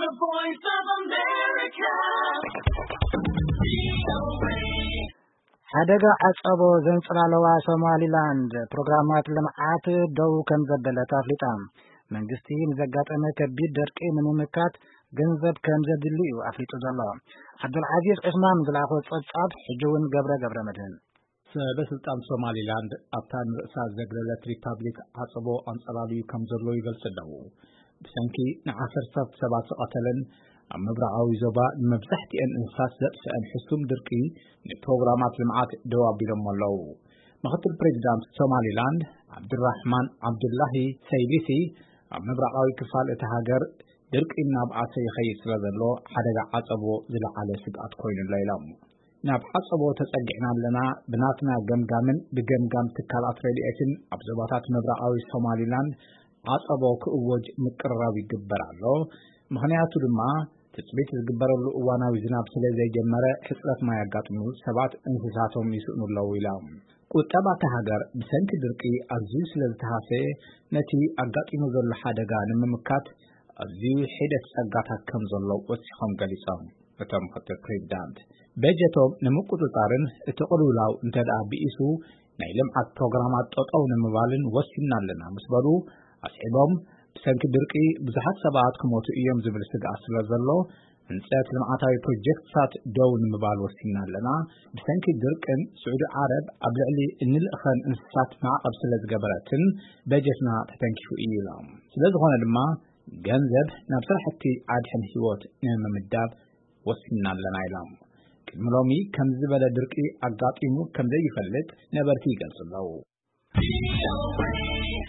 Voice of America. ሓደጋ ዓጸቦ ዘንጸላለዋ ሶማሊላንድ ፕሮግራማት ልምዓት ደው ከም ዘበለት ኣፍሊጣ። መንግስቲ ንዘጋጠመ ከቢድ ደርቂ ንምምካት ገንዘብ ከም ዘድሊ እዩ ኣፍሊጡ ዘሎ። ዓብዱልዓዚዝ ዑስማን ዝለኣኾ ጸብጻብ ሕጂ እውን ገብረ ገብረ መድህን። ሰበ ስልጣን ሶማሊላንድ ኣብታ ንርእሳ ዘግለለት ሪፓብሊክ ዓጸቦ ኣንጸላልዩ ከም ዘሎ ይገልጽ ኣለዉ። ብሰንኪ ንዓሰርታት ሰባት ዝቐተለን ኣብ ምብራቓዊ ዞባ ንመብዛሕትኤን እንስሳት ዘጥፍአን ሕሱም ድርቂ ንፕሮግራማት ልምዓት ደው ኣቢሎሞ ኣለዉ። ምኽትል ፕሬዚዳንት ሶማሊላንድ ዓብድራሕማን ዓብዱላሂ ሰይሊሲ ኣብ ምብራቓዊ ክፋል እታ ሃገር ድርቂ እናብኣሰ ይኸይድ ስለ ዘሎ ሓደጋ ዓጸቦ ዝለዓለ ስግኣት ኮይኑሎ ኢሎም። ናብ ዓጸቦ ተጸጊዕና ኣለና። ብናትና ገምጋምን ብገምጋም ትካላት ረድኤትን ኣብ ዞባታት ምብራቓዊ ሶማሊላንድ ዓጸቦ ክእወጅ ምቅርራብ ይግበር ኣሎ። ምኽንያቱ ድማ ትጽቢት ዝግበረሉ እዋናዊ ዝናብ ስለ ዘይጀመረ ሕጽረት ማይ ኣጋጢሙ ሰባት እንስሳቶም ይስእኑ ኣለዉ ኢሎም። ቁጠባ እታ ሃገር ብሰንኪ ድርቂ ኣዝዩ ስለ ዝተሃሰየ ነቲ ኣጋጢሙ ዘሎ ሓደጋ ንምምካት ኣዝዩ ሒደት ጸጋታት ከም ዘሎ ወሲኾም ገሊጾም። እቶም ምኽትል ፕሬዚዳንት በጀቶም ንምቁጽጻርን እቲ ቅልውላው እንተ ደኣ ብኢሱ ናይ ልምዓት ፕሮግራማት ጠጠው ንምባልን ወሲንና ኣለና ምስ በሉ ኣስዒቦም ብሰንኪ ድርቂ ብዙሓት ሰባት ክሞቱ እዮም ዝብል ስግኣት ስለ ዘሎ ህንጸት ልምዓታዊ ፕሮጀክትታት ደው ንምባል ወሲንና ኣለና። ብሰንኪ ድርቅን ስዑዲ ዓረብ ኣብ ልዕሊ እንልእኸን እንስሳት ማዕቐብ ስለ ዝገበረትን በጀትና ተተንኪፉ እዩ ኢሎም። ስለ ዝኾነ ድማ ገንዘብ ናብ ስራሕቲ ኣድሕን ህይወት ንምምዳብ ወሲንና ኣለና ኢሎም። ቅድሚ ሎሚ ከምዚ ዝበለ ድርቂ ኣጋጢሙ ከም ዘይፈልጥ ነበርቲ ይገልጹ ኣለዉ።